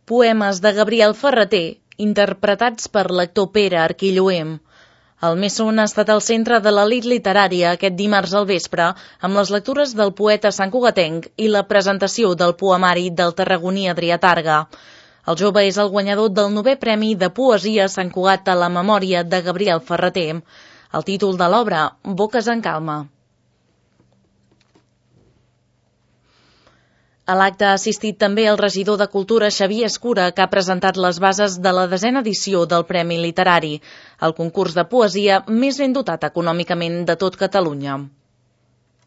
Poemes de Gabriel Ferrater, interpretats per l'actor Pere Arquilloem. El Messon ha estat al centre de l'elit literària aquest dimarts al vespre amb les lectures del poeta santcugatenc i la presentació del poemari del tarragoní Adrià Targa. El jove és el guanyador del 9è Premi de Poesia Sant Cugat a la memòria de Gabriel Ferrater. El títol de l'obra, Boques en calma. A l'acte ha assistit també el regidor de Cultura Xavier Escura, que ha presentat les bases de la 10a edició del Premi Literari, el concurs de poesia més ben dotat econòmicament de tot Catalunya.